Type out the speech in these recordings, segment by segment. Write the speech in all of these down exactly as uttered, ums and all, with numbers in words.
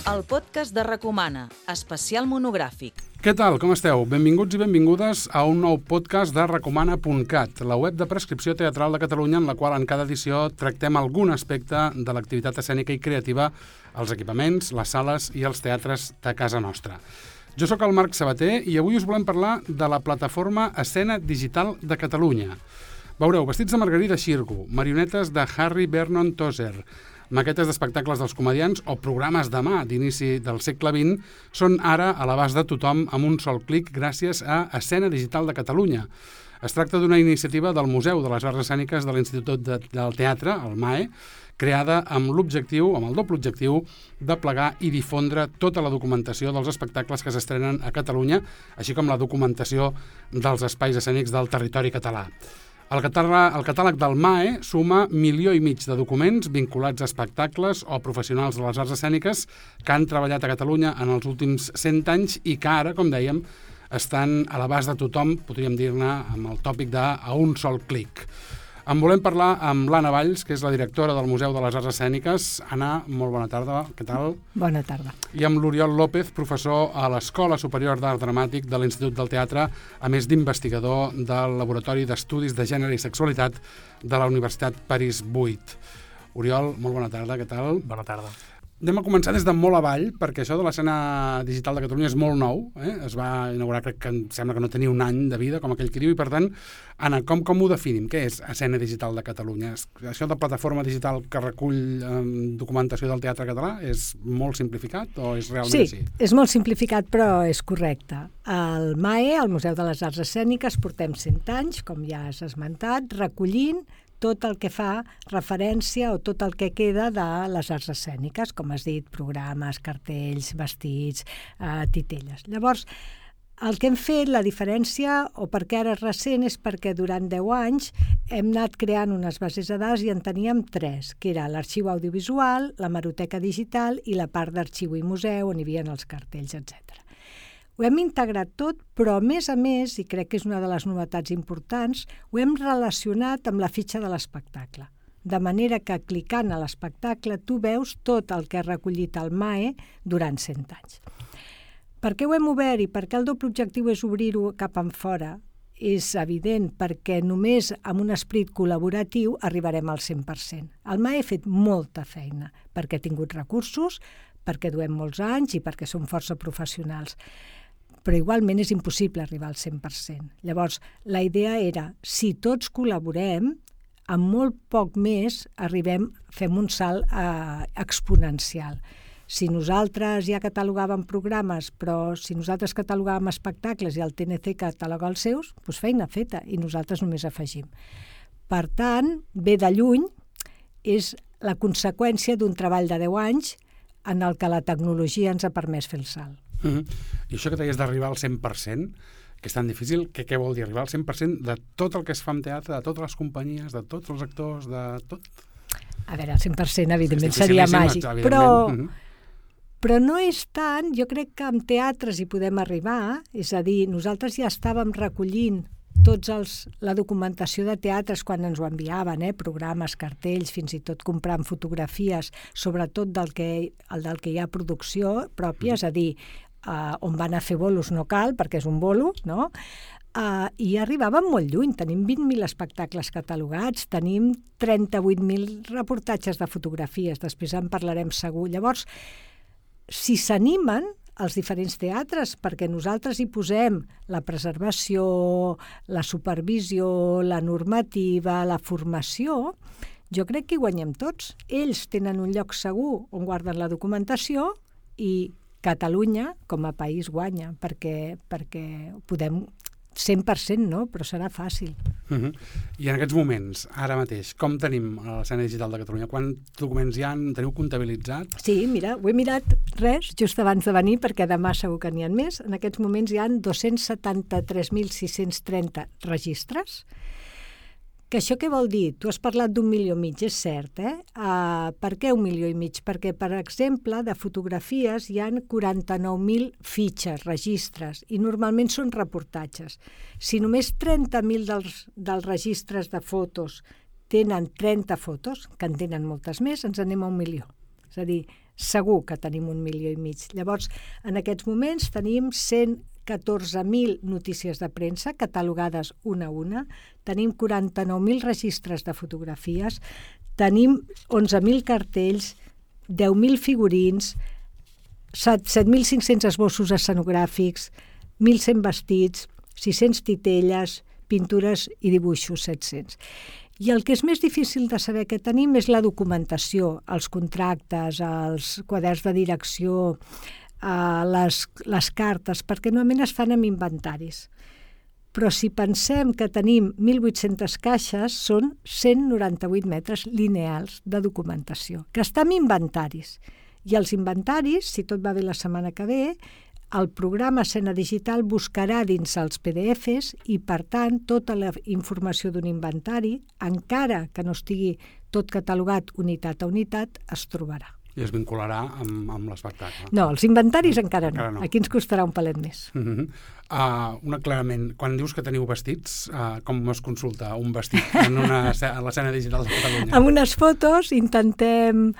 el podcast de Recomana, especial monogràfic. Què tal, com esteu? Benvinguts i benvingudes a un nou podcast de recomana punt cat, la web de prescripció teatral de Catalunya en la qual en cada edició tractem algun aspecte de l'activitat escènica i creativa als equipaments, les sales i els teatres de casa nostra. Jo sóc el Marc Sabater i avui us volem parlar de la plataforma Escena Digital de Catalunya. Veureu, vestits de Margarida Xirgu, marionetes de Harry Vernon Tozer, maquetes d'espectacles dels comedians o programes de mà d'inici del segle vint són ara a l'abast de tothom amb un sol clic gràcies a Escena Digital de Catalunya. Es tracta d'una iniciativa del Museu de les Arts Escèniques de l'Institut de, del Teatre, el M A E, creada amb l'objectiu, amb el doble objectiu, de plegar i difondre tota la documentació dels espectacles que s'estrenen a Catalunya, així com la documentació dels espais escènics del territori català. El catàleg, el catàleg del M A E suma milió i mig de documents vinculats a espectacles o professionals de les arts escèniques que han treballat a Catalunya en els últims cent anys i que ara, com dèiem, estan a l'abast de tothom, podríem dir-ne, amb el tòpic de a un sol clic. En volem parlar amb l'Anna Valls, que és la directora del Museu de les Arts Escèniques. Anna, molt bona tarda, què tal? Bona tarda. I amb l'Oriol López, professor a l'Escola Superior d'Art Dramàtic de l'Institut del Teatre, a més d'investigador del Laboratori d'Estudis de Gènere i Sexualitat de la Universitat París vuit. Oriol, molt bona tarda, què tal? Bona tarda. Anem a començar des de molt avall, perquè això de l'escena digital de Catalunya és molt nou. Eh? Es va inaugurar, crec que em sembla que no tenia un any de vida, com aquell que diu, i per tant, Anna, com, com ho definim? Què és Escena Digital de Catalunya? Això de plataforma digital que recull eh, documentació del teatre català és molt simplificat o és realment sí, així? Sí, és molt simplificat, però és correcte. Al M A E, al Museu de les Arts Escèniques, portem cent anys, com ja has esmentat, recollint tot el que fa referència o tot el que queda de les arts escèniques, com has dit, programes, cartells, vestits, eh, titelles. Llavors, el que hem fet, la diferència, o perquè ara és recent, és perquè durant deu anys hem anat creant unes bases de dades i en teníem tres, que era l'arxiu audiovisual, la hemeroteca digital i la part d'arxiu i museu, on hi havia els cartells, etcètera. Ho hem integrat tot, però a més a més, i crec que és una de les novetats importants, ho hem relacionat amb la fitxa de l'espectacle. De manera que clicant a l'espectacle tu veus tot el que ha recollit el M A E durant cent anys. Per què ho hem obert i per què el doble objectiu és obrir-ho cap enfora? És evident, perquè només amb un esperit col·laboratiu arribarem al cent per cent. El M A E ha fet molta feina, perquè ha tingut recursos, perquè duem molts anys i perquè som força professionals. Però igualment és impossible arribar al cent per cent. Llavors, la idea era, si tots col·laborem, amb molt poc més arribem, fem un salt eh, exponencial. Si nosaltres ja catalogàvem programes, però si nosaltres catalogàvem espectacles i el T N C cataloga els seus, doncs feina feta, i nosaltres només afegim. Per tant, ve de lluny, és la conseqüència d'un treball de deu anys en el que la tecnologia ens ha permès fer el salt. Uh-huh. I això que deies d'arribar al cent per cent, que és tan difícil, que què vol dir? Arribar al cent per cent de tot el que es fa en teatre, de totes les companyies, de tots els actors, de tot? A veure, el cent per cent evidentment seria màgic, però, uh-huh. però no és tant, jo crec que amb teatres hi podem arribar, és a dir, nosaltres ja estàvem recollint tots els, la documentació de teatres quan ens ho enviaven, eh? Programes, cartells, fins i tot comprant fotografies, sobretot del que, el del que hi ha producció pròpia, és a dir, uh, on van a fer bolos no cal, perquè és un bolo, no? Uh, I arribàvem molt lluny, tenim vint mil espectacles catalogats, tenim trenta-vuit mil reportatges de fotografies, després en parlarem segur. Llavors, si s'animen els diferents teatres, perquè nosaltres hi posem la preservació, la supervisió, la normativa, la formació, jo crec que hi guanyem tots. Ells tenen un lloc segur on guarden la documentació i Catalunya, com a país, guanya, perquè, perquè podem cent per cent no, però serà fàcil. Uh-huh. I en aquests moments, ara mateix, com tenim l'escena digital de Catalunya? Quants documents hi ha? Teniu comptabilitzat? Sí, mira, ho he mirat res just abans de venir, perquè demà segur que n'hi ha més. En aquests moments hi ha dos-cents setanta-tres mil sis-cents trenta registres. Que això què vol dir? Tu has parlat d'un milió i mig, és cert, eh? Uh, per què un milió i mig? Perquè, per exemple, de fotografies hi ha quaranta-nou mil fitxes, registres, i normalment són reportatges. Si només trenta mil dels, dels registres de fotos tenen trenta fotos, que en tenen moltes més, ens anem a un milió. És a dir, segur que tenim un milió i mig. Llavors, en aquests moments tenim cent catorze mil notícies de premsa catalogades una a una, tenim quaranta-nou mil registres de fotografies, tenim onze mil cartells, deu mil figurins, set mil cinc-cents esbossos escenogràfics, mil cent vestits, sis-cents titelles, pintures i dibuixos set-cents. I el que és més difícil de saber que tenim és la documentació, els contractes, els quaderns de direcció, les, les cartes, perquè normalment es fan amb inventaris. Però si pensem que tenim mil vuit-centes caixes, són cent noranta-vuit metres lineals de documentació, que està en inventaris. I els inventaris, si tot va bé la setmana que ve, el programa Escena Digital buscarà dins els P D Efs i, per tant, tota la informació d'un inventari, encara que no estigui tot catalogat unitat a unitat, es trobarà. I es vincularà amb, amb l'espectacle. No, els inventaris no, encara, no. encara no. Aquí ens costarà un palet més. Uh -huh. uh, un aclarament. Quan dius que teniu vestits, uh, com es consulta un vestit en, una, en l'escena digital de Catalunya? Amb unes fotos intentem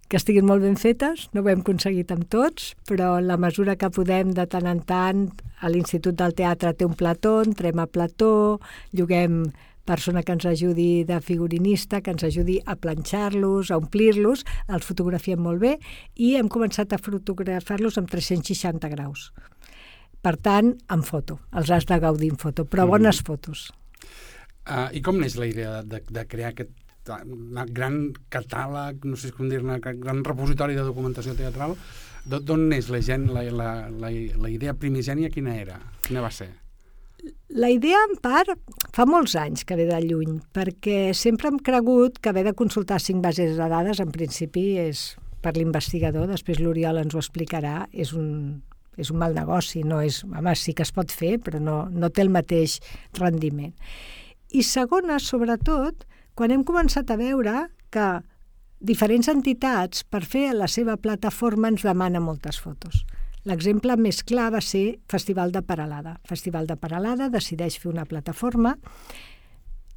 que estiguin molt ben fetes, no ho hem aconseguit amb tots, però en la mesura que podem de tant en tant, a l'Institut del Teatre té un plató, entrem a plató, lloguem persona que ens ajudi de figurinista, que ens ajudi a planxar-los, a omplir-los, els fotografiem molt bé i hem començat a fotografar-los amb tres-cents seixanta graus. Per tant, en foto, els has de gaudir en foto, però bones mm. fotos. Uh, I com neix la idea de, de crear aquest gran catàleg, no sé com dir-ne, gran repositori de documentació teatral? D'on neix la gent, la, la, la, la idea primigènia, quina era? Quina va ser? La idea, en part, fa molts anys que ve de lluny, perquè sempre hem cregut que haver de consultar cinc bases de dades, en principi, és per l'investigador, després l'Oriol ens ho explicarà, és un, és un mal negoci, no és, home, sí que es pot fer, però no, no té el mateix rendiment. I segona, sobretot, quan hem començat a veure que diferents entitats, per fer la seva plataforma, ens demanen moltes fotos. L'exemple més clar va ser Festival de Peralada. Festival de Peralada decideix fer una plataforma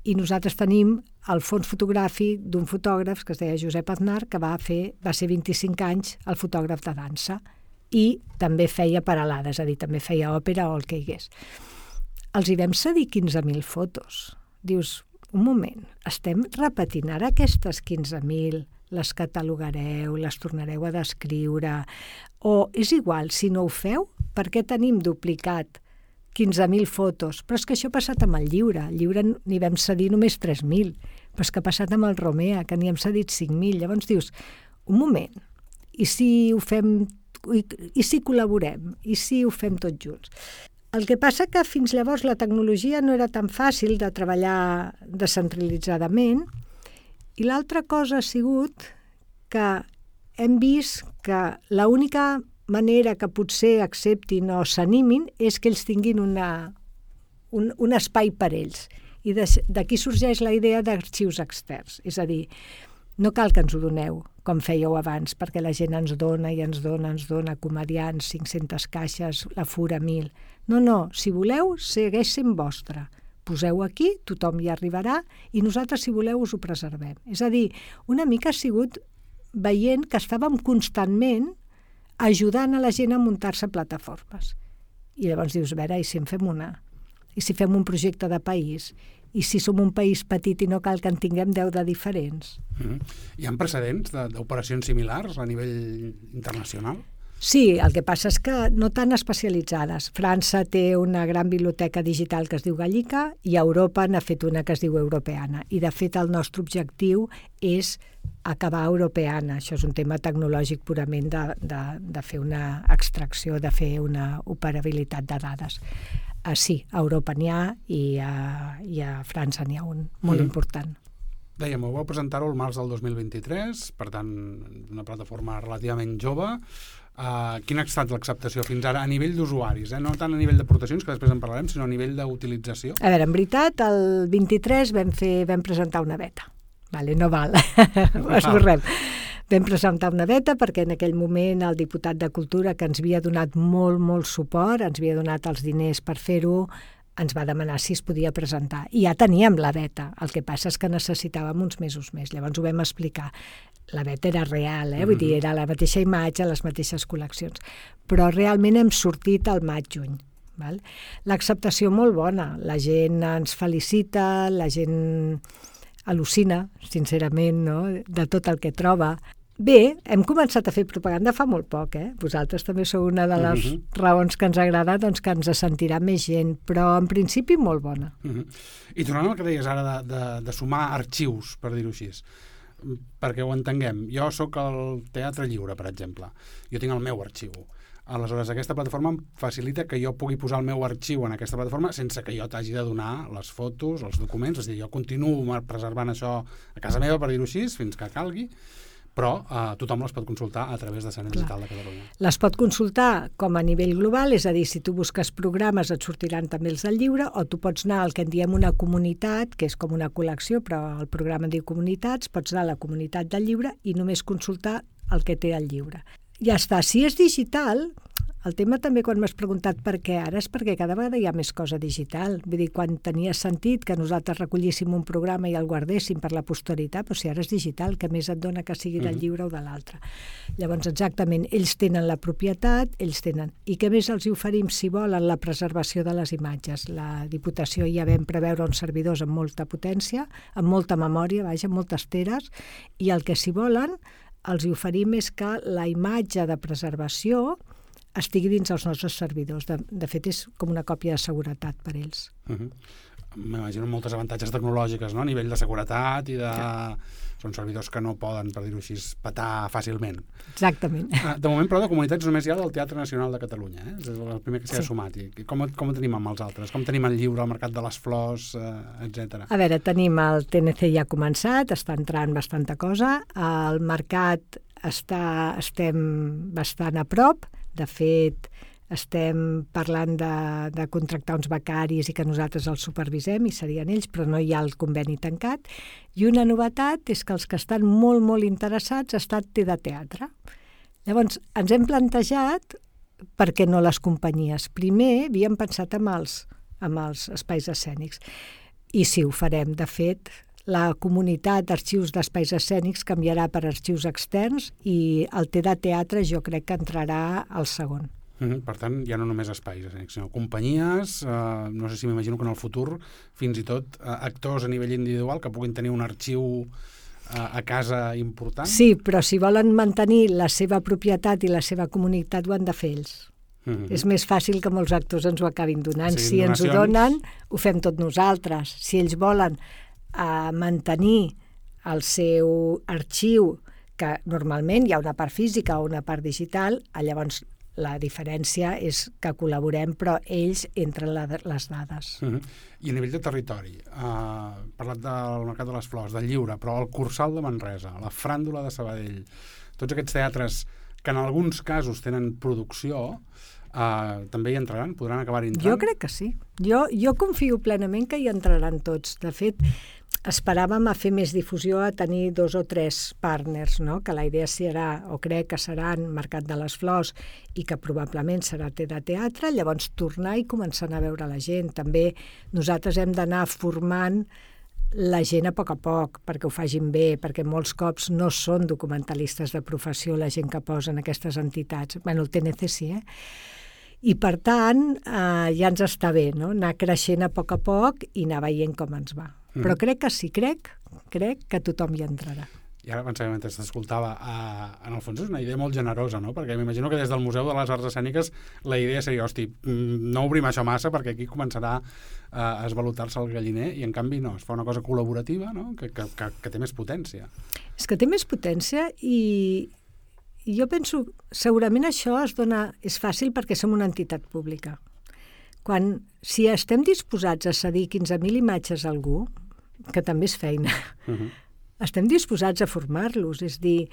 i nosaltres tenim el fons fotogràfic d'un fotògraf que es deia Josep Aznar, que va fer, va ser vint-i-cinc anys el fotògraf de dansa i també feia Peralada, és a dir, també feia òpera o el que hi hagués. Els hi vam cedir quinze mil fotos. Dius, un moment, estem repetint ara aquestes quinze mil, les catalogareu, les tornareu a descriure, o és igual, si no ho feu, per què tenim duplicat quinze mil fotos? Però és que això ha passat amb el llibre. El llibre n'hi vam cedir només tres mil, però és que ha passat amb el Romea, que n'hi hem cedit cinc mil. Llavors dius, un moment, i si ho fem, i, i si col·laborem, i si ho fem tots junts? El que passa que fins llavors la tecnologia no era tan fàcil de treballar descentralitzadament, i l'altra cosa ha sigut que hem vist que l'única manera que potser acceptin o s'animin és que ells tinguin una, un, un espai per ells. I d'aquí sorgeix la idea d'arxius externs. És a dir, no cal que ens ho doneu, com fèieu abans, perquè la gent ens dona i ens dona, ens dona comedians, cinc-centes caixes, la fura mil. No, no, si voleu, segueix sent vostre. Poseu aquí, tothom hi arribarà i nosaltres, si voleu, us ho preservem. És a dir, una mica ha sigut veient que estàvem constantment ajudant a la gent a muntar-se plataformes. I llavors dius, a veure, i si en fem una? I si fem un projecte de país? I si som un país petit i no cal que en tinguem deu de diferents? Mm-hmm. Hi ha precedents d'operacions similars a nivell internacional? Sí, el que passa és que no tan especialitzades. França té una gran biblioteca digital que es diu Gallica i Europa n'ha fet una que es diu Europeana. I, de fet, el nostre objectiu és acabar Europeana. Això és un tema tecnològic purament de, de, de fer una extracció, de fer una operabilitat de dades. Uh, sí, a Europa n'hi ha i a, i a França n'hi ha un molt mm. important. Dèiem, ho vau presentar-ho el març del dos mil vint-i-tres, per tant, una plataforma relativament jove. Uh, quina ha estat l'acceptació fins ara a nivell d'usuaris, eh? No tant a nivell d'aportacions, que després en parlarem, sinó a nivell d'utilització? A veure, en veritat, el vint-i-tres vam, fer, vam presentar una beta. Vale, no val, esborrem. Vam presentar una beta perquè en aquell moment el diputat de Cultura, que ens havia donat molt, molt suport, ens havia donat els diners per fer-ho, ens va demanar si es podia presentar. I ja teníem la beta, el que passa és que necessitàvem uns mesos més. Llavors ho vam explicar. La beta era real, eh? Vull dir, era la mateixa imatge, les mateixes col·leccions. Però realment hem sortit al maig-juny. Val? L'acceptació molt bona. La gent ens felicita, la gent al·lucina, sincerament, no? De tot el que troba. Bé, hem començat a fer propaganda fa molt poc, eh? Vosaltres també sou una de les uh-huh. raons que ens agrada, doncs que ens sentirà més gent, però en principi molt bona. Uh-huh. I tornant al que deies ara de, de, de sumar arxius, per dir-ho així, perquè ho entenguem, jo sóc al Teatre Lliure, per exemple, jo tinc el meu arxiu. Aleshores, aquesta plataforma em facilita que jo pugui posar el meu arxiu en aquesta plataforma sense que jo t'hagi de donar les fotos, els documents, és a dir, jo continuo preservant això a casa meva, per dir-ho així, fins que calgui, però eh, tothom les pot consultar a través de Escena Digital de Catalunya. Les pot consultar com a nivell global, és a dir, si tu busques programes et sortiran també els del lliure, o tu pots anar al que en diem una comunitat, que és com una col·lecció, però el programa diu comunitats, pots anar a la comunitat del lliure i només consultar el que té el lliure. Ja està. Si és digital, el tema també quan m'has preguntat per què ara és perquè cada vegada hi ha més cosa digital. Vull dir, quan tenia sentit que nosaltres recollíssim un programa i el guardéssim per la posteritat, però si ara és digital, que més et dona que sigui del lliure o de l'altre. Llavors, exactament, ells tenen la propietat, ells tenen. I què més els hi oferim, si volen, la preservació de les imatges? La Diputació ja vam preveure uns servidors amb molta potència, amb molta memòria, vaja, amb moltes teres, i el que si volen els hi oferim és que la imatge de preservació estigui dins els nostres servidors. De, de fet, és com una còpia de seguretat per ells. Uh-huh. M'imagino moltes avantatges tecnològiques, no? A nivell de seguretat i de... Ja. Són servidors que no poden, per dir-ho així, petar fàcilment. Exactament. De moment, però, de comunitats només hi ha del Teatre Nacional de Catalunya. Eh? És el primer que s'hi ha sí. sumat. I com, com ho tenim amb els altres? Com tenim el lliure, el Mercat de les Flors, eh, etcètera? A veure, tenim el T N C ja començat, està entrant bastanta cosa. El mercat està, estem bastant a prop. De fet, estem parlant de, de contractar uns becaris i que nosaltres els supervisem, i serien ells, però no hi ha el conveni tancat. I una novetat és que els que estan molt, molt interessats ha estat T de Teatre. Llavors, ens hem plantejat per què no les companyies. Primer, havíem pensat amb els, amb els espais escènics. I sí, ho farem. De fet, la comunitat d'arxius d'espais escènics canviarà per arxius externs i el T de Teatre jo crec que entrarà al segon. Mm-hmm. Per tant, ja no només espais escènics, sinó companyies, eh, no sé si m'imagino que en el futur, fins i tot eh, actors a nivell individual que puguin tenir un arxiu eh, a casa important. Sí, però si volen mantenir la seva propietat i la seva comunitat ho han de fer ells. Mm-hmm. És més fàcil que molts actors ens ho acabin donant. Sí, si ens ho donen, ho fem tot nosaltres. Si ells volen a mantenir el seu arxiu, que normalment hi ha una part física o una part digital, llavors la diferència és que col·laborem, però ells entren la, les dades. Uh-huh. I a nivell de territori, uh, parlat del Mercat de les Flors, del Lliure, però el Cursal de Manresa, la Fràndula de Sabadell, tots aquests teatres que en alguns casos tenen producció, uh, també hi entraran? Podran acabar entrant? Jo crec que sí. Jo, jo confio plenament que hi entraran tots. De fet, esperàvem a fer més difusió, a tenir dos o tres partners, no? Que la idea serà, o crec que seran Mercat de les Flors i que probablement serà T de Teatre, llavors tornar i començar a veure la gent. També nosaltres hem d'anar formant la gent a poc a poc perquè ho facin bé, perquè molts cops no són documentalistes de professió la gent que posen aquestes entitats. Bé, el T N C sí, eh? I, per tant, eh, ja ens està bé, no? Anar creixent a poc a poc i anar veient com ens va. Mm. Però crec que sí, crec, crec que tothom hi entrarà. I ara pensava, mentre t'escoltava, eh, en el fons és una idea molt generosa, no? Perquè m'imagino que des del Museu de les Arts Escèniques la idea seria, hosti, no obrim això massa perquè aquí començarà eh, a esvalotar-se el galliner i, en canvi, no, es fa una cosa col·laborativa, no? que, que, que, que té més potència. És que té més potència i... I jo penso, segurament això es dona, és fàcil perquè som una entitat pública. Quan, si estem disposats a cedir quinze mil imatges a algú, que també és feina, uh-huh. estem disposats a formar-los, és dir,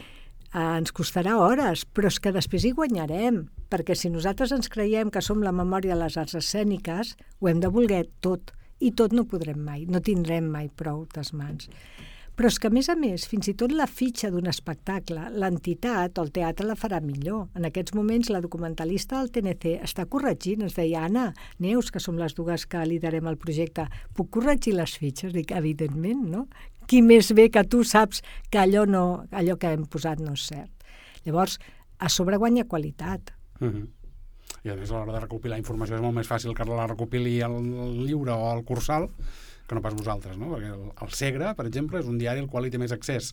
eh, ens costarà hores, però és que després hi guanyarem, perquè si nosaltres ens creiem que som la memòria de les arts escèniques, ho hem de voler tot, i tot no podrem mai, no tindrem mai prou des mans. Però és que, a més a més, fins i tot la fitxa d'un espectacle, l'entitat o el teatre la farà millor. En aquests moments, la documentalista del T N C està corregint. Ens deia, Anna, Neus, que som les dues que liderem el projecte, puc corregir les fitxes? Dic, evidentment, no? Qui més bé que tu saps que allò, no, allò que hem posat no és cert. Llavors, a sobre guanya qualitat. Uh-huh. I a més, a l'hora de recopilar informació és molt més fàcil que la recopili el, el llibre o el cursal que no pas vosaltres, no? Perquè el, el Segre, per exemple, és un diari al qual hi té més accés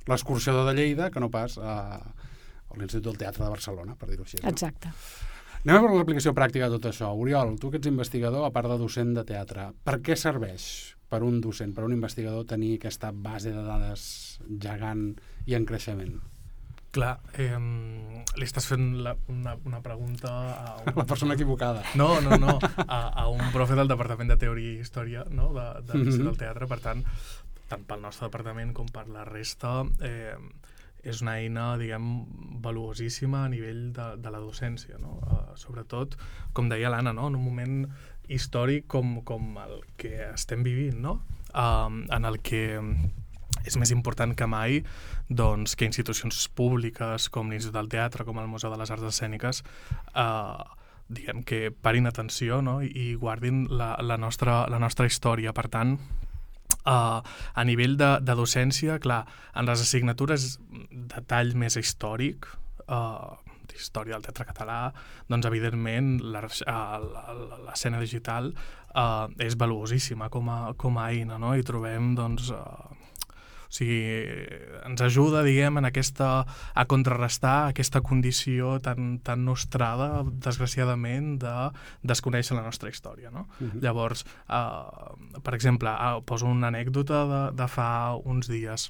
l'Escorxador de Lleida que no pas a, a l'Institut del Teatre de Barcelona, per dir-ho així. No? Exacte. Anem a veure l'aplicació pràctica de tot això. Oriol, tu que ets investigador, a part de docent de teatre, per què serveix per un docent, per un investigador, tenir aquesta base de dades gegant i en creixement? Clar, eh, li estàs fent la, una, una pregunta a un... La persona equivocada. No, no, no, a, a un profe del Departament de Teoria i Història, no?, de, de l'Institut del Teatre. Per tant, tant pel nostre departament com per la resta, eh, és una eina, diguem, valuosíssima a nivell de, de la docència, no? Uh, sobretot, com deia l'Anna, no?, en un moment històric com, com el que estem vivint, no?, uh, en el que és més important que mai doncs, que institucions públiques com l'Institut del Teatre, com el Museu de les Arts Escèniques, eh, diguem que parin atenció, no?, i guardin la, la, nostra, la nostra història. Per tant, eh, a nivell de, de docència, clar, en les assignatures de tall més històric, eh, d'història del teatre català, doncs evidentment l'escena digital eh, és valuosíssima com a, com a eina, no?, i trobem doncs eh, o sigui, ens ajuda, diguem, en aquesta, a contrarrestar aquesta condició tan, tan nostrada, desgraciadament, de desconèixer la nostra història, no? Uh-huh. Llavors, eh, per exemple, eh, poso una anècdota de, de fa uns dies.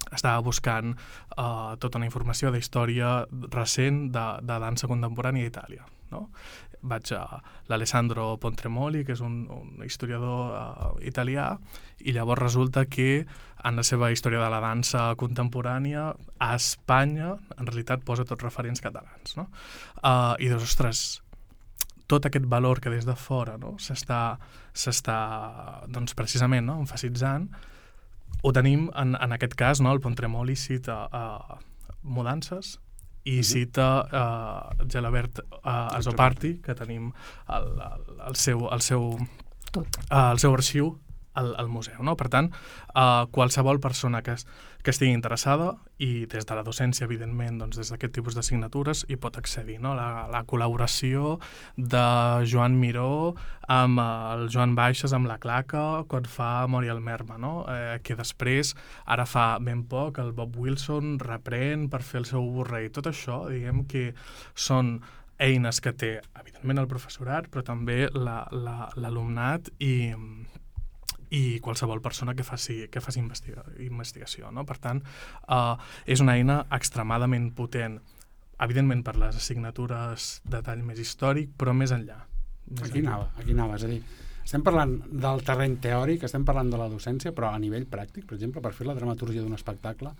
Estava buscant eh, tota una informació de història recent de, de dansa contemporània a Itàlia, no? Vaig a l'Alessandro Pontremoli, que és un, un historiador uh, italià, i llavors resulta que en la seva història de la dansa contemporània a Espanya en realitat posa tots referents catalans, no? Uh, i dius, ostres, tot aquest valor que des de fora, no?, s'està, s'està doncs, precisament, no?, emfasitzant, ho tenim en, en aquest cas, no?, el Pontremoli cita uh, Mudances, i cita uh, Gelabert uh, Azopardi, que tenim el, el, el, seu, el, seu, uh, el seu arxiu al, al museu, no? Per tant, uh, qualsevol persona que, es, que estigui interessada, i des de la docència, evidentment, doncs des d'aquest tipus d'assignatures, hi pot accedir, no? La, la col·laboració de Joan Miró amb el Joan Baixes, amb la Claca, quan fa Mori el Merma, no? Eh, que després, ara fa ben poc, el Bob Wilson reprèn per fer el seu Borrell. Tot això, diguem que són eines que té, evidentment, el professorat, però també la, la, l'alumnat i... i qualsevol persona que faci, que faci investiga, investigació, no? Per tant, eh, és una eina extremadament potent, evidentment per les assignatures de tall més històric, però més enllà. Més aquí enllà. anava, aquí anava, és a dir, estem parlant del terreny teòric, estem parlant de la docència, però a nivell pràctic, per exemple, per fer la dramatúrgia d'un espectacle,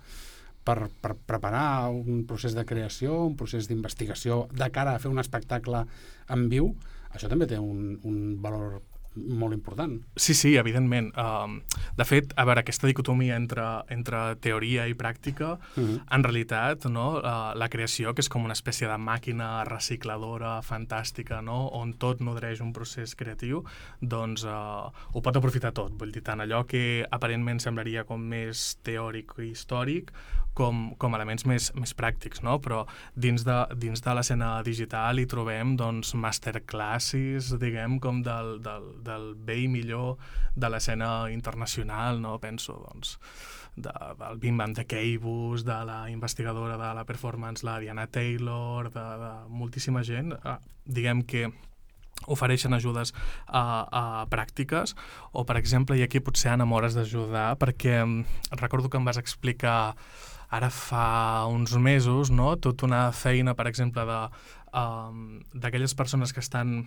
per, per preparar un procés de creació, un procés d'investigació de cara a fer un espectacle en viu, això també té un, un valor molt important. Sí, sí, evidentment. Um, de fet, a veure, aquesta dicotomia entre, entre teoria i pràctica, uh-huh. en realitat, no, uh, la creació, que és com una espècie de màquina recicladora fantàstica, no, on tot nodreix un procés creatiu, doncs uh, ho pot aprofitar tot. Vull dir, tant allò que aparentment semblaria com més teòric i històric, com, com elements més, més pràctics, no? Però dins de, dins de l'escena digital hi trobem doncs, masterclasses, diguem, com del, del, del bé i millor de l'escena internacional, no? Penso, doncs, de, del Bim Bam de Keibus, de la investigadora de la performance, la Diana Taylor, de, de moltíssima gent, eh, diguem que ofereixen ajudes a, a pràctiques, o, per exemple, i aquí potser, Anna, m'hauràs d'ajudar, perquè recordo que em vas explicar ara fa uns mesos, no?, tota una feina, per exemple, de, um, d'aquelles persones que estan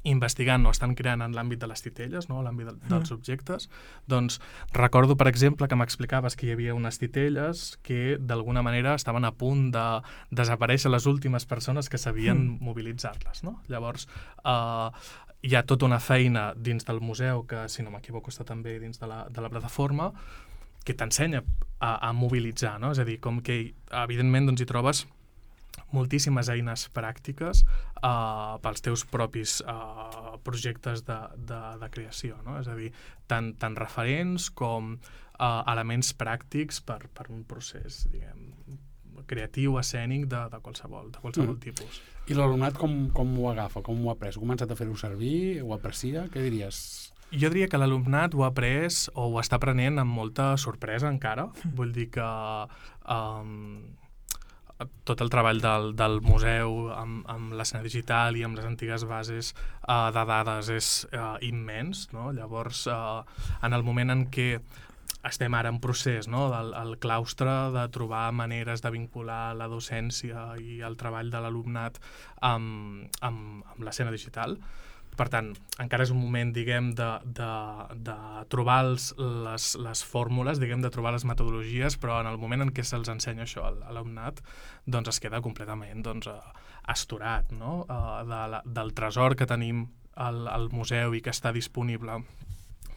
investigant o estan creant en l'àmbit de les titelles, no?, l'àmbit de, dels objectes. Doncs recordo, per exemple, que m'explicaves que hi havia unes titelles que d'alguna manera estaven a punt de desaparèixer les últimes persones que sabien mm. mobilitzar-les, no? Llavors, eh, hi ha tota una feina dins del museu, que si no m'equivoco està també dins de la, de la plataforma, que t'ensenya a, a mobilitzar, no? És a dir, com que evidentment doncs, hi trobes moltíssimes eines pràctiques uh, pels teus propis uh, projectes de, de, de creació, no? És a dir, tant, tant referents com uh, elements pràctics per, per un procés, diguem, creatiu, escènic, de, de qualsevol, de qualsevol mm. tipus. I l'alumnat com, com ho agafa, com ho ha après? Ha començat a fer-ho servir? Ho aprecia? Què diries? Jo diria que l'alumnat ho ha après o ho està aprenent amb molta sorpresa encara. Vull dir que um, tot el treball del, del museu amb, amb l'escena digital i amb les antigues bases uh, de dades és uh, immens, no? Llavors, uh, en el moment en què estem ara en procés, no? del el claustre de trobar maneres de vincular la docència i el treball de l'alumnat amb, amb, amb l'escena digital. Per tant, encara és un moment, diguem, de, de, de trobar els, les, les fórmules, diguem, de trobar les metodologies, però en el moment en què se'ls ensenya això a l'alumnat, doncs es queda completament doncs, astorat, no? Uh, de la, del tresor que tenim al, al museu i que està disponible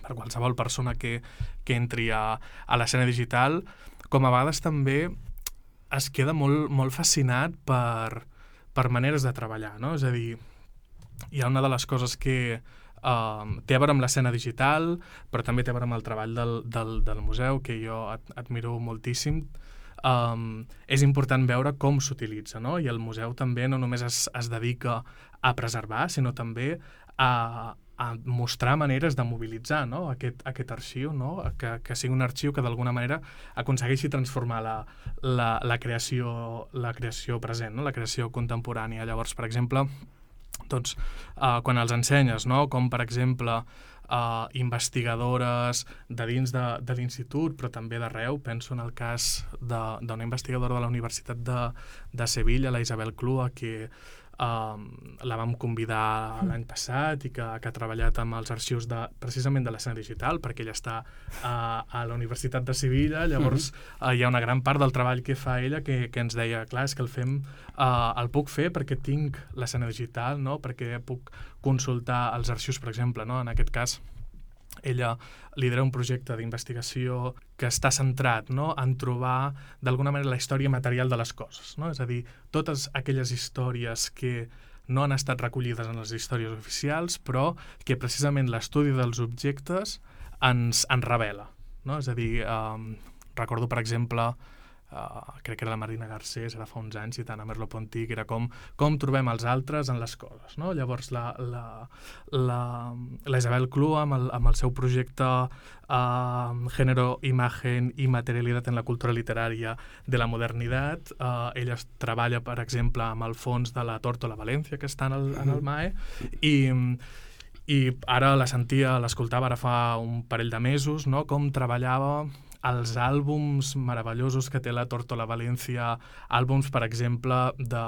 per qualsevol persona que, que entri a, a l'escena digital, com a vegades també es queda molt, molt fascinat per, per maneres de treballar, no? És a dir, hi ha una de les coses que uh, té a veure amb l'escena digital, però també té a veure amb el treball del, del, del museu, que jo ad, admiro moltíssim. Um, és important veure com s'utilitza, no? I el museu també no només es, es dedica a preservar, sinó també a, a mostrar maneres de mobilitzar, no? aquest, aquest arxiu, no? que, que sigui un arxiu que d'alguna manera aconsegueixi transformar la, la, la, creació, la creació present, no? La creació contemporània. Llavors, per exemple, doncs, uh, quan els ensenyes, no? Com per exemple Uh, investigadores de dins de, de l'institut, però també d'arreu. Penso en el cas d'una investigadora de la Universitat de, de Sevilla, la Isabel Clua, que uh, la vam convidar l'any passat i que, que ha treballat amb els arxius de, precisament de l'escena digital, perquè ella està uh, a la Universitat de Sevilla. Llavors uh, hi ha una gran part del treball que fa ella que, que ens deia, clar, és que el fem uh, el puc fer perquè tinc l'escena digital, no? Perquè puc consultar els arxius, per exemple, no? En aquest cas, ella lidera un projecte d'investigació que està centrat, no? En trobar, d'alguna manera, la història material de les coses, no? És a dir, totes aquelles històries que no han estat recollides en les històries oficials, però que precisament l'estudi dels objectes ens, ens revela, no? És a dir, um, recordo, per exemple, Uh, crec que era la Marina Garcés, era fa uns anys, i tant a Merleau-Ponty, que era com, com trobem els altres en les coses, no? Llavors la, la, la, la Isabel Clua, amb el, amb el seu projecte uh, Género, Imagen i Materialitat en la Cultura Literària de la Modernitat, uh, ella treballa, per exemple, amb el fons de la Tórtola Valencia, que està en el, en el M A E, i i ara la sentia, l'escoltava ara fa un parell de mesos, no? Com treballava els àlbums meravellosos que té la Tórtola Valencia, àlbums, per exemple, de,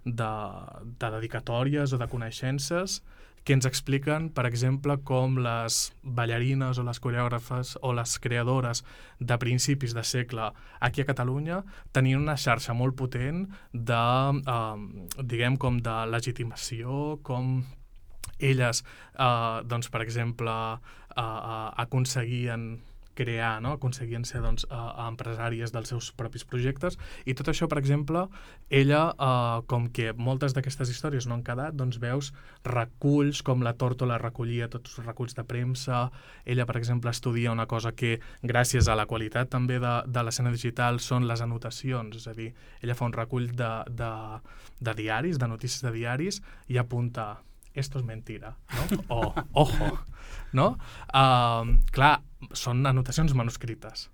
de, de dedicatòries o de coneixences, que ens expliquen, per exemple, com les ballarines o les coreògrafes o les creadores de principis de segle aquí a Catalunya tenien una xarxa molt potent de, eh, diguem, com de legitimació, com elles, eh, doncs, per exemple, eh, aconseguien crear, no? Aconseguien ser doncs, uh, empresàries dels seus propis projectes, i tot això, per exemple, ella, uh, com que moltes d'aquestes històries no han quedat, doncs veus reculls, com la Tórtola recollia tots els reculls de premsa. Ella, per exemple, estudia una cosa que, gràcies a la qualitat també de, de l'escena digital, són les anotacions, és a dir, ella fa un recull de, de, de diaris, de notícies de diaris, i apunta esto es mentira, no? O, ojo, no? Uh, clar, són anotacions manuscrites.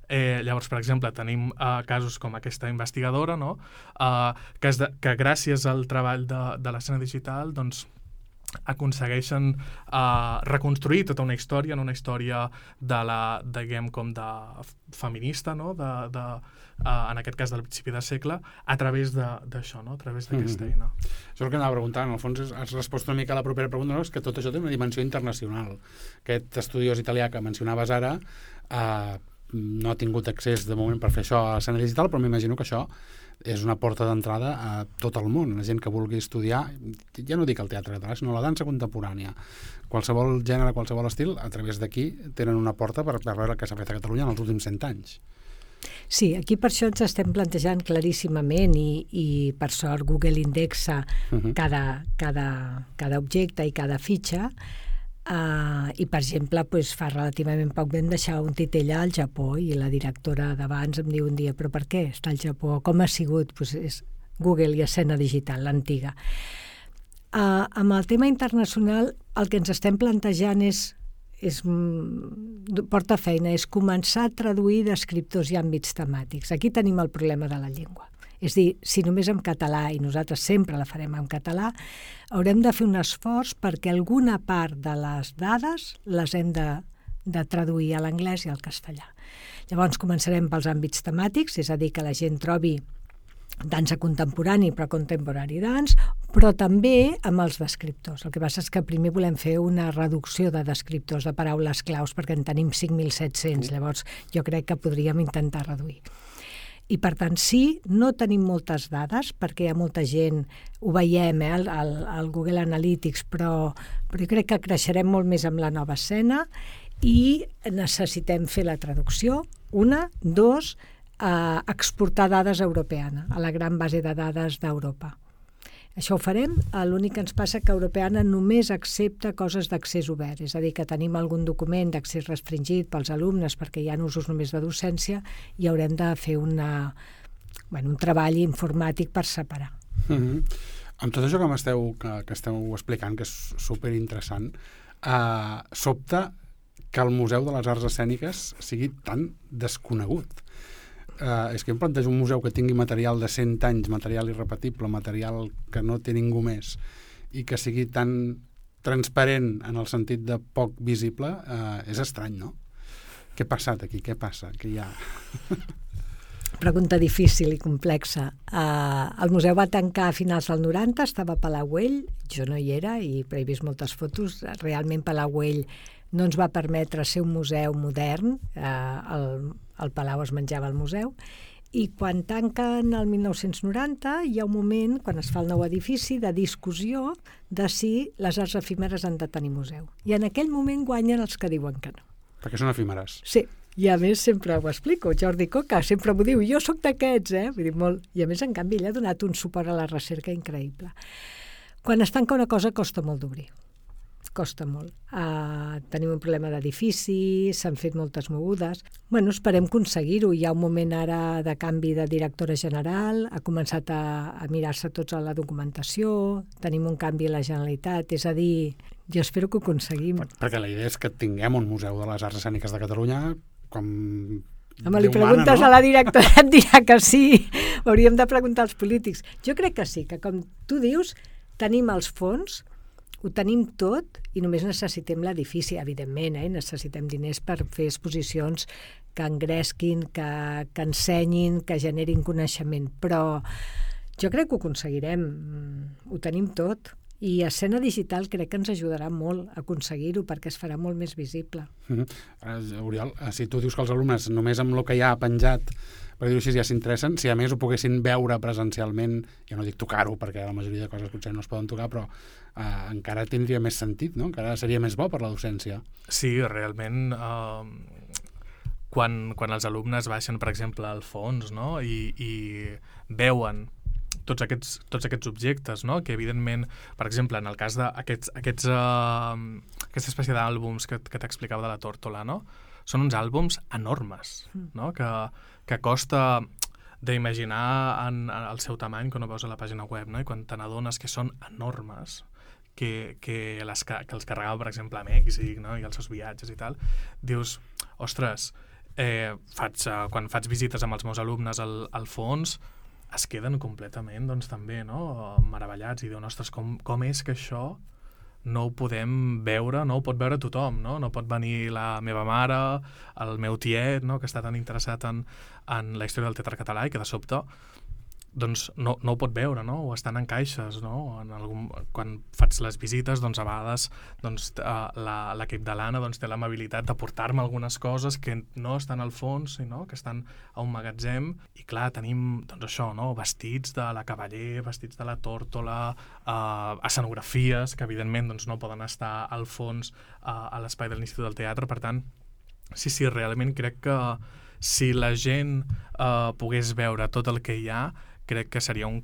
Eh, llavors, per exemple, tenim uh, casos com aquesta investigadora, no? Uh, que, de, que gràcies al treball de, de l'escena digital, doncs, aconsegueixen uh, reconstruir tota una història, en una història de la, diguem, com de feminista, no? De, de, uh, en aquest cas del principi de segle, a través d'això, no? A través d'aquesta mm-hmm. eina. Això és el que anava preguntant. En el fons has respost una mica a la propera pregunta, no? És que tot això té una dimensió internacional. Aquest estudiós italià que mencionaves ara, uh, no ha tingut accés de moment per fer això a l'escena digital, però m'imagino que això és una porta d'entrada a tot el món. La gent que vulgui estudiar, ja no dic el teatre català, sinó la dansa contemporània, qualsevol gènere, qualsevol estil, a través d'aquí tenen una porta per, per veure el que s'ha fet a Catalunya en els últims cent anys. Sí, aquí per això ens estem plantejant claríssimament i, i per sort Google indexa uh-huh. cada, cada, cada objecte i cada fitxa. Uh, i per exemple pues, fa relativament poc vam deixar un titell al Japó i la directora d'abans em diu un dia però per què està al Japó? Com ha sigut? Pues és Google i escena digital, l'antiga. Uh, amb el tema internacional el que ens estem plantejant és, és porta feina, és començar a traduir d'escriptors i àmbits temàtics. Aquí tenim el problema de la llengua. És dir, si només en català, i nosaltres sempre la farem en català, haurem de fer un esforç perquè alguna part de les dades les hem de, de traduir a l'anglès i al castellà. Llavors començarem pels àmbits temàtics, és a dir, que la gent trobi dansa contemporani, però contemporary dance, però també amb els descriptors. El que passa és que primer volem fer una reducció de descriptors, de paraules claus, perquè en tenim cinc mil set-cents, llavors jo crec que podríem intentar reduir. I per tant, sí, no tenim moltes dades, perquè hi ha molta gent, ho veiem eh, al, al, al Google Analytics, però, però jo crec que creixerem molt més amb la nova escena i necessitem fer la traducció, una, dos, eh, exportar dades europeana, a la gran base de dades d'Europa. Això ho farem, l'únic que ens passa que Europeana només accepta coses d'accés obert, és a dir, que tenim algun document d'accés restringit pels alumnes perquè hi ha usos només de docència i haurem de fer una, bueno, un treball informàtic per separar. Mm-hmm. Amb tot això que m'esteu que, que esteu explicant, que és superinteressant, eh, sobta que el Museu de les Arts Escèniques sigui tan desconegut. Uh, és que em plantejo un museu que tingui material de cent anys, material irrepetible, material que no té ningú més, i que sigui tan transparent en el sentit de poc visible, uh, és estrany, no? Què ha passat aquí? Què passa? Què hi ha? Pregunta difícil i complexa. Uh, el museu va tancar a finals del noranta, estava a Palauell, jo no hi era, i però he vist moltes fotos. Realment Palauell no ens va permetre ser un museu modern, eh, el, el Palau es menjava al museu, i quan tanquen el mil nou-cents noranta hi ha un moment, quan es fa el nou edifici, de discussió de si les arts efímeres han de tenir museu. I en aquell moment guanyen els que diuen que no. Perquè són efímeres. Sí, i a més sempre ho explico, Jordi Coca sempre m'ho diu, jo sóc d'aquests, eh? Vull dir, molt. I a més, en canvi, ell ha donat un suport a la recerca increïble. Quan es tanca una cosa costa molt d'obrir. Costa molt. Uh, tenim un problema d'edifici, s'han fet moltes mogudes. Bueno, esperem aconseguir-ho. Hi ha un moment ara de canvi de directora general, ha començat a, a mirar-se tots a la documentació, tenim un canvi a la Generalitat, és a dir, jo espero que ho aconseguim. Per, perquè la idea és que tinguem un Museu de les Arts Escèniques de Catalunya com... Home, li preguntes mana, no? A la directora, et dirà que sí. Hauríem de preguntar als polítics. Jo crec que sí, que com tu dius, tenim els fons, ho tenim tot i només necessitem l'edifici, evidentment, eh? Necessitem diners per fer exposicions que engresquin, que, que ensenyin, que generin coneixement, però jo crec que ho aconseguirem, ho tenim tot. I escena digital crec que ens ajudarà molt a aconseguir-ho perquè es farà molt més visible. Mm-hmm. Uh, Oriol, si tu dius que els alumnes només amb el que hi ha penjat, per dir-ho així, ja s'interessen, si a més ho poguessin veure presencialment, ja no dic tocar-ho perquè la majoria de coses potser no es poden tocar, però uh, encara tindria més sentit, no? Encara seria més bo per la docència. Sí, realment, uh, quan, quan els alumnes baixen, per exemple, al fons, no? I, i veuen tots aquests, tots aquests objectes, no? Que evidentment, per exemple, en el cas d'aquests aquests, uh, aquesta espècie d'àlbums que, que t'explicava de la tórtola, no? Són uns àlbums enormes, no? que, que costa d'imaginar en, en el seu tamany quan ho veus a la pàgina web, no? I quan te n'adones que són enormes, que, que, les, que els carregava, per exemple, a Mèxic, no? I els seus viatges i tal, dius, ostres, eh, faig, uh, quan faig visites amb els meus alumnes al, al fons, es queden completament, doncs, també, no? Meravellats, i diuen, ostres, com, com és que això no ho podem veure, no ho pot veure tothom, no? No pot venir la meva mare, el meu tiet, no? Que està tan interessat en, en la història del teatre català i que de sobte doncs no, no ho pot veure, no? O estan en caixes, no? En algun, quan faig les visites, doncs a vegades doncs, l'equip de l'Anna doncs, té l'amabilitat de portar-me algunes coses que no estan al fons, no? Que estan a un magatzem, i clar, tenim doncs això, no? Vestits de la Cavaller, vestits de la Tórtola, eh, escenografies que evidentment doncs, no poden estar al fons eh, a l'espai de l'Institut del Teatre. Per tant, sí, sí, realment crec que si la gent eh, pogués veure tot el que hi ha, crec que seria un,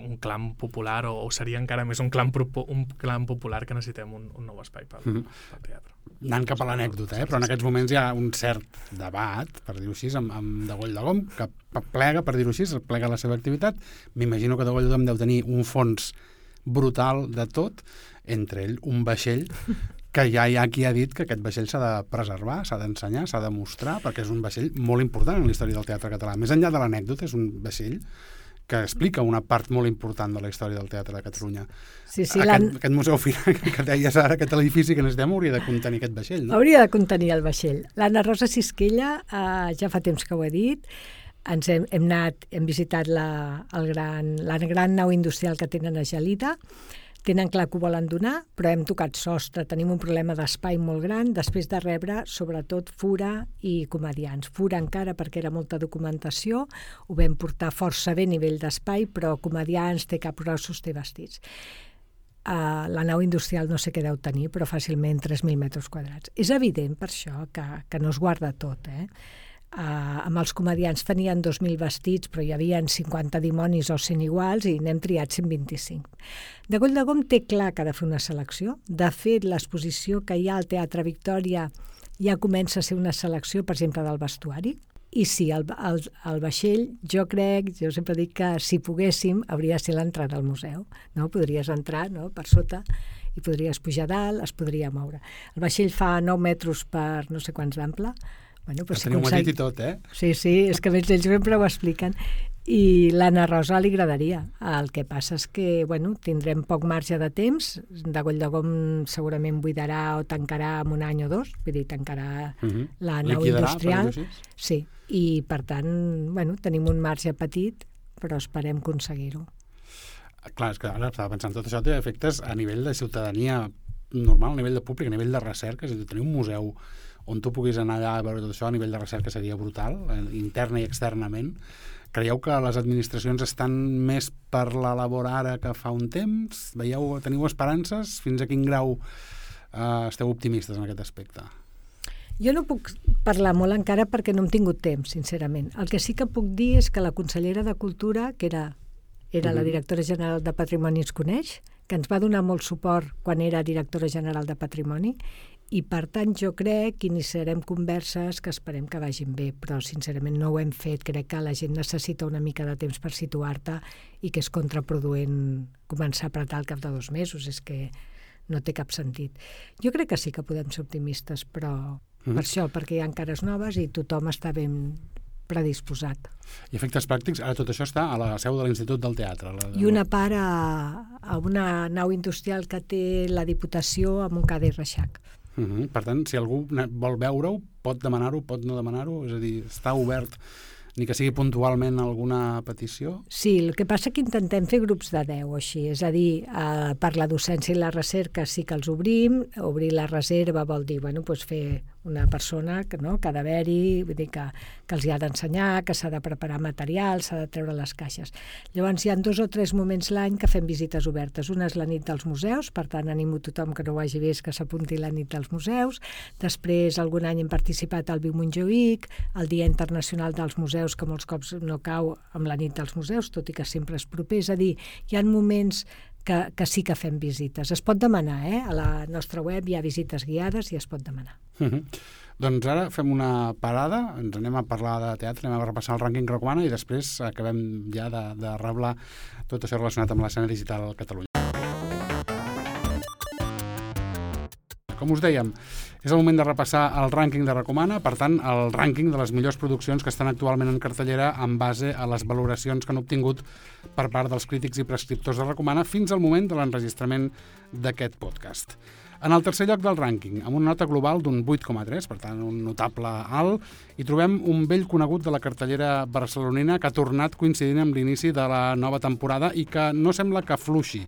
un clam popular, o, o seria encara més un clam, un clam popular, que necessitem un, un nou espai pel, mm-hmm. pel teatre. Anant cap a l'anècdota, eh? Però en aquests moments hi ha un cert debat, per dir-ho així, amb, amb Degoll de Gom, que plega, per dir-ho així, plega la seva activitat. M'imagino que Degoll de Gom deu tenir un fons brutal de tot, entre ell un vaixell, que ja hi ha qui ha dit que aquest vaixell s'ha de preservar, s'ha d'ensenyar, s'ha de mostrar, perquè és un vaixell molt important en la història del teatre català. Més enllà de l'anècdota, és un vaixell que explica una part molt important de la història del teatre de Catalunya. Sí, sí, aquest, aquest museu final que deies ara, aquest edifici que necessitem, hauria de contenir aquest vaixell, no? Hauria de contenir el vaixell. L'Anna Rosa Sisquella, eh, ja fa temps que ho he dit, ens hem, hem anat, hem visitat la, el gran, la gran nau industrial que tenen a Gelida. Tenen clar que ho volen donar, però hem tocat sostre, tenim un problema d'espai molt gran, després de rebre, sobretot, fura i comedians. Fura encara perquè era molta documentació, ho vam portar força bé a nivell d'espai, però comedians, té capgrossos, té vestits. Uh, la nau industrial no sé què deu tenir, però fàcilment tres mil metres quadrats. És evident per això que, que no es guarda tot, eh? Uh, amb els comedians tenien dos mil vestits, però hi havia cinquanta dimonis o cent iguals, i n'hem triat cent vint-i-cinc. Degoll de Gom té clar que ha de fer una selecció. De fet, l'exposició que hi ha al Teatre Victòria ja comença a ser una selecció, per exemple, del vestuari. I sí, el, el, el vaixell, jo crec, jo sempre dic que si poguéssim, hauria de ser l'entrada al museu. No? Podries entrar, no?, per sota, i podries pujar dalt, es podria moure. El vaixell fa nou metres per no sé quants d'ample. Bueno, però si teniu consegui... dit i tot, eh? Sí, sí, és que ells sempre ho expliquen. I l'Anna Rosa li agradaria. El que passa és que, bueno, tindrem poc marge de temps. Degoll de Gom segurament buidarà o tancarà en un any o dos, vull dir, tancarà uh-huh. la nau Liquidarà, industrial. Sí, i per tant, bueno, tenim un marge petit, però esperem aconseguir-ho. Clar, és que ara estava pensant, tot això té efectes a nivell de ciutadania normal, a nivell de públic, a nivell de recerca, és a dir, tenir un museu on tu puguis anar allà a veure tot això a nivell de recerca seria brutal, interna i externament. Creieu que les administracions estan més per la labor ara que fa un temps? Veieu, teniu esperances? Fins a quin grau eh, esteu optimistes en aquest aspecte? Jo no puc parlar molt encara perquè no hem tingut temps, sincerament. El que sí que puc dir és que la consellera de Cultura, que era, era uh-huh. la directora general de Patrimoni, ens coneix, que ens va donar molt suport quan era directora general de Patrimoni, i per tant jo crec que iniciarem converses que esperem que vagin bé, però sincerament no ho hem fet. Crec que la gent necessita una mica de temps per situar-te i que és contraproduent començar a apretar al cap de dos mesos, és que no té cap sentit. Jo crec que sí que podem ser optimistes, però mm. per això, perquè hi ha cares noves i tothom està ben predisposat. I efectes pràctics, ara tot això està a la seu de l'Institut del Teatre. La... I una part a, a una nau industrial que té la Diputació a Montcada i Reixac. Uh-huh. Per tant, si algú vol veure-ho, pot demanar-ho, pot no demanar-ho, és a dir, està obert, ni que sigui puntualment alguna petició? Sí, el que passa que intentem fer grups de deu o així, és a dir, eh, per la docència i la recerca sí que els obrim, obrir la reserva vol dir, bueno, doncs fer una persona que, no, que ha d'haver-hi, vull dir que, que els hi ha d'ensenyar, que s'ha de preparar material, s'ha de treure les caixes. Llavors hi ha dos o tres moments l'any que fem visites obertes. Una és la nit dels museus, per tant animo tothom que no ho hagi vist que s'apunti la nit dels museus. Després algun any hem participat al Viu Montjuïc, el Dia Internacional dels Museus, que molts cops no cau amb la nit dels museus, tot i que sempre és proper. És a dir, hi ha moments que, que sí que fem visites. Es pot demanar, eh? A la nostra web hi ha visites guiades i es pot demanar. Uh-huh. Doncs ara fem una parada, ens anem a parlar de teatre, anem a repassar el rànquing Recomana i després acabem ja de, de reblar tot això relacionat amb l'escena digital a Catalunya. Com us dèiem, és el moment de repassar el rànquing de Recomana, per tant, el rànquing de les millors produccions que estan actualment en cartellera en base a les valoracions que han obtingut per part dels crítics i prescriptors de Recomana fins al moment de l'enregistrament d'aquest podcast. En el tercer lloc del rànquing, amb una nota global d'un vuit coma tres, per tant, un notable alt, hi trobem un vell conegut de la cartellera barcelonina que ha tornat coincidint amb l'inici de la nova temporada i que no sembla que fluixi.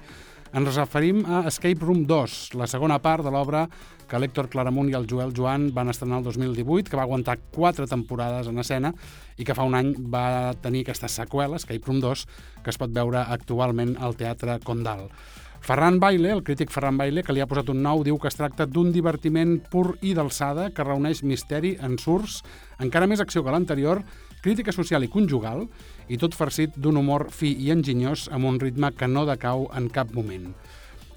Ens referim a Escape Room dos, la segona part de l'obra que l'Héctor Claramunt i el Joel Joan van estrenar el dos mil divuit, que va aguantar quatre temporades en escena i que fa un any va tenir aquesta seqüela, Escape Room dos, que es pot veure actualment al Teatre Condal. Ferran Baile, el crític Ferran Baile, que li ha posat un nou, diu que es tracta d'un divertiment pur i d'alçada que reuneix misteri, ensurts, encara més acció que l'anterior, crítica social i conjugal, i tot farcit d'un humor fi i enginyós amb un ritme que no decau en cap moment.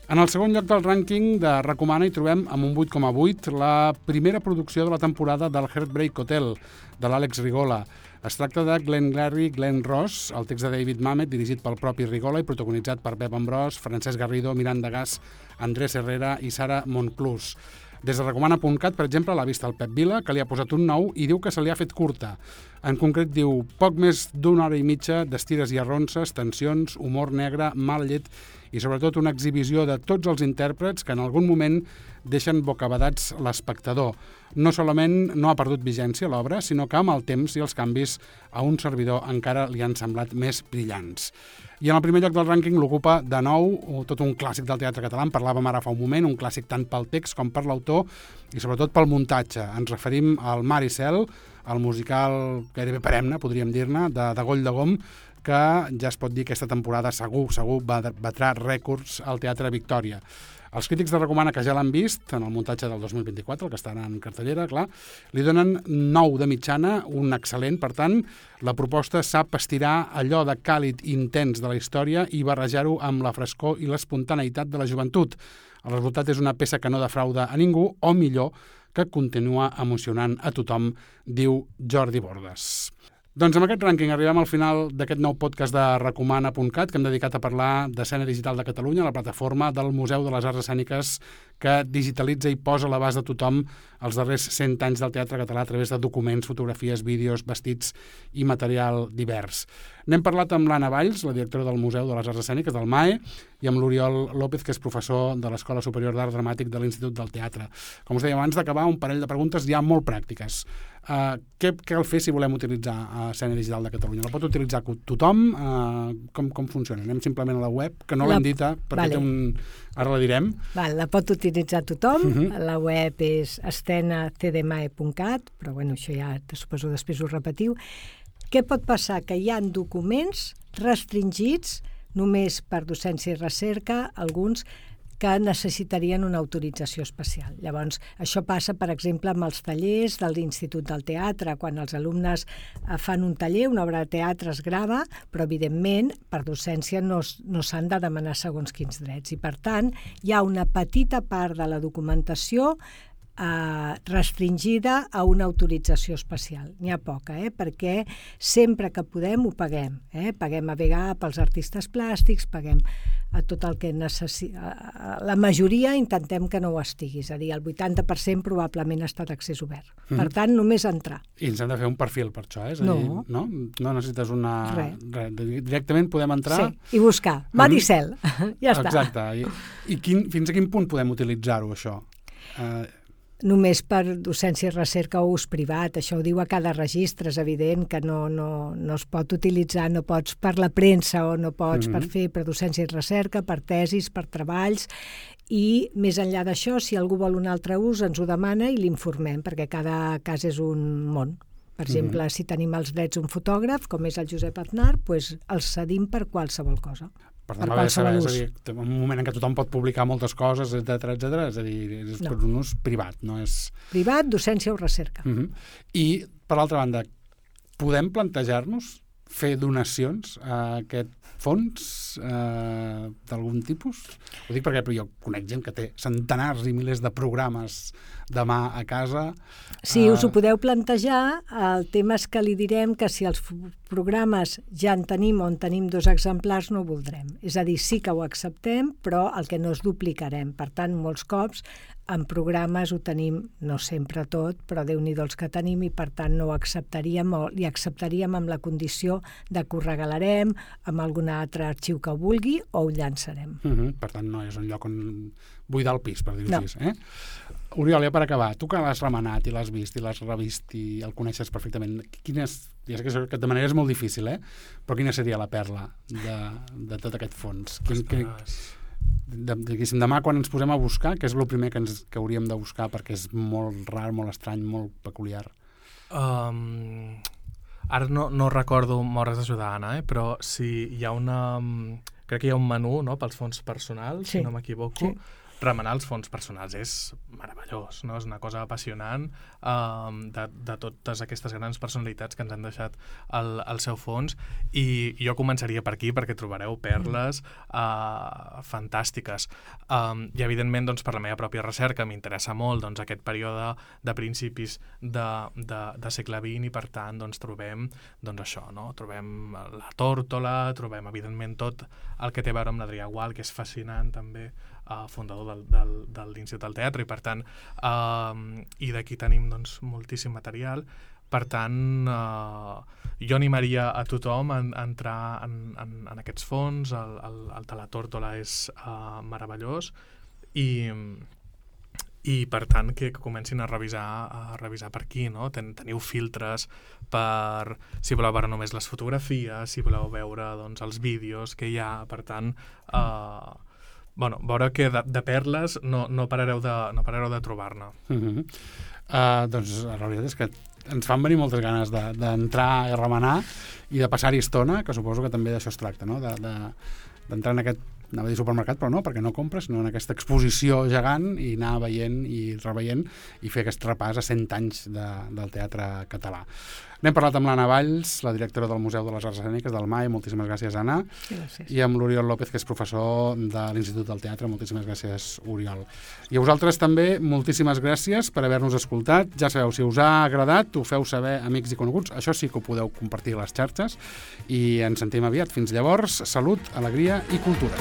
En el segon lloc del rànquing de Recomana hi trobem amb un vuit coma vuit la primera producció de la temporada del Heartbreak Hotel, de l'Àlex Rigola. Es tracta de Glengarry Glen Ross, el text de David Mamet, dirigit pel propi Rigola i protagonitzat per Pep Ambrós, Francesc Garrido, Miranda Gas, Andrés Herrera i Sara Monclús. Des de Recomana punt cat, per exemple, l'ha vist el Pep Vila, que li ha posat un nou i diu que se li ha fet curta. En concret diu, poc més d'una hora i mitja d'estires i arronses, tensions, humor negre, mal llet i sobretot una exhibició de tots els intèrprets que en algun moment deixen bocabadats l'espectador. No solament no ha perdut vigència l'obra, sinó que amb el temps i els canvis a un servidor encara li han semblat més brillants. I en el primer lloc del rànquing l'ocupa de nou tot un clàssic del teatre català, en parlàvem ara fa un moment, un clàssic tant pel text com per l'autor i sobretot pel muntatge. Ens referim al Mar i Cel, el musical gairebé perenne, podríem dir-ne, de, de Goll de Gom, que ja es pot dir que aquesta temporada segur, segur batrà rècords al Teatre Victòria. Els crítics de Recomana, que ja l'han vist en el muntatge del dos mil vint-i-quatre, el que està en cartellera, clar, li donen nou de mitjana, un excel·lent. Per tant, la proposta sap estirar allò de càlid i intens de la història i barrejar-ho amb la frescor i l'espontaneïtat de la joventut. El resultat és una peça que no defrauda a ningú, o millor, que continua emocionant a tothom, diu Jordi Bordes. Doncs amb aquest rànquing arribem al final d'aquest nou podcast de Recomana punt cat que hem dedicat a parlar d'Escena Digital de Catalunya, la plataforma del Museu de les Arts Escèniques que digitalitza i posa a l'abast de tothom els darrers cent anys del teatre català a través de documents, fotografies, vídeos, vestits i material divers. N'hem parlat amb l'Anna Valls, la directora del Museu de les Arts Escèniques, del M A E, i amb l'Oriol López, que és professor de l'Escola Superior d'Art Dramàtic de l'Institut del Teatre. Com us deia abans d'acabar, un parell de preguntes ja molt pràctiques. Uh, què cal fer si volem utilitzar uh, Escena Digital de Catalunya? La pot utilitzar tothom? Uh, com, com funciona? Anem simplement a la web, que no l'hem dit, perquè vale. té un... ara la direm. Val, la pot utilitzar tothom. Uh -huh. La web és escena c d m a e punt cat, però bueno, això ja suposo després ho repetiu. Què pot passar? Que hi ha documents restringits només per docència i recerca, alguns que necessitarien una autorització especial. Llavors, això passa, per exemple, amb els tallers de l'Institut del Teatre, quan els alumnes fan un taller, una obra de teatre es grava, però, evidentment, per docència no, no s'han de demanar segons quins drets. I, per tant, hi ha una petita part de la documentació Uh, restringida a una autorització especial. N'hi ha poca, eh? Perquè sempre que podem ho paguem. Eh? Paguem a V G A pels artistes plàstics, paguem a tot el que necessita. La majoria intentem que no ho estigui, és a dir, el vuitanta per cent probablement està d'accés obert. Mm. Per tant, només entrar. I ens hem de fer un perfil per això, eh? És a dir, no. no. No necessites una... Res. Res. Directament podem entrar... Sí, i buscar. Mar i Cel. Ja està. Exacte. I, i quin, fins a quin punt podem utilitzar-ho, això? Uh, Només per docència i recerca o ús privat. Això ho diu a cada registre, és evident que no, no, no es pot utilitzar, no pots per la premsa o no pots mm-hmm. per fer per docència i recerca, per tesis, per treballs, i més enllà d'això, si algú vol un altre ús, ens ho demana i l'informem, perquè cada cas és un món. Per exemple, mm-hmm. si tenim els drets d'un fotògraf, com és el Josep Aznar, doncs els cedim per qualsevol cosa. Per tant, per saber, és a dir, en un moment en què tothom pot publicar moltes coses, etcètera, etcètera, és a dir, és no. per un ús privat, no és... Privat, docència o recerca. Uh-huh. I, per l'altra banda, podem plantejar-nos fer donacions a aquest fons eh, d'algun tipus? Ho dic perquè jo conec gent que té centenars i milers de programes de mà a casa. Sí, uh... us ho podeu plantejar. El tema és que li direm que si els programes ja en tenim on tenim dos exemplars, no ho voldrem. És a dir, sí que ho acceptem, però el que no és duplicarem. Per tant, molts cops en programes ho tenim, no sempre tot, però Déu-n'hi-do els que tenim i per tant no ho acceptaríem o li acceptaríem amb la condició de que ho regalarem amb algun altre arxiu que ho vulgui o ho llançarem. Uh-huh. Per tant, no és un lloc on buidar el pis, per dir-ho no. així. Eh? Oriol, ja per acabar, tu que l'has remenat i l'has vist i l'has revist i el coneixes perfectament, quines, ja sé que, que de manera és molt difícil, eh? Però quina seria la perla de, de tot aquest fons? Quin, quin, de, diguéssim, demà quan ens posem a buscar, què és el primer que, ens, que hauríem de buscar perquè és molt rar, molt estrany, molt peculiar? Um, ara no, no recordo, m'hauràs d'ajudar, Anna, eh? Però si hi ha una... Crec que hi ha un menú, no?, pels fons personals, sí. si no m'equivoco. Sí. Remenar els fons personals és meravellós, no? És una cosa apassionant um, de, de totes aquestes grans personalitats que ens han deixat el, el seu fons, i jo començaria per aquí perquè trobareu perles uh, fantàstiques. Um, I evidentment, doncs, per la meva pròpia recerca m'interessa molt, doncs, aquest període de principis de, de, de segle vint, i per tant doncs, trobem doncs, això, no? Trobem la tórtola, trobem evidentment tot el que té a veure amb l'Adrià Gual, que és fascinant també, Uh, fundador del, del, de l'Institut del Teatre, i per tant uh, i d'aquí tenim doncs, moltíssim material. Per tant, uh, jo animaria a tothom a, a entrar en, en, en aquests fons. El, el, el de la tórtola és uh, meravellós, i i per tant que, que comencin a revisar a revisar per aquí, no? Ten, teniu filtres per si voleu veure només les fotografies, si voleu veure doncs, els vídeos que hi ha, per tant uh, bueno, veure que de, de perles no, no parareu de, no parareu de trobar-ne. Uh-huh. uh, doncs la veritat és que ens fan venir moltes ganes de, d'entrar i remenar i de passar-hi estona, que suposo que també d'això es tracta, no? De, de, d'entrar en aquest, anava a dir supermercat, però no, perquè no compres, sinó en aquesta exposició gegant i anar veient i reveient i fer aquest repàs a cent anys de, del teatre català. N'hem parlat amb l'Anna Valls, la directora del Museu de les Arts Escèniques del M A E, moltíssimes gràcies, Anna. Gràcies. I amb l'Oriol López, que és professor de l'Institut del Teatre, moltíssimes gràcies, Oriol. I a vosaltres també, moltíssimes gràcies per haver-nos escoltat. Ja sabeu, si us ha agradat, ho feu saber amics i coneguts, això sí que ho podeu compartir a les xarxes, i ens sentim aviat. Fins llavors, salut, alegria i cultura.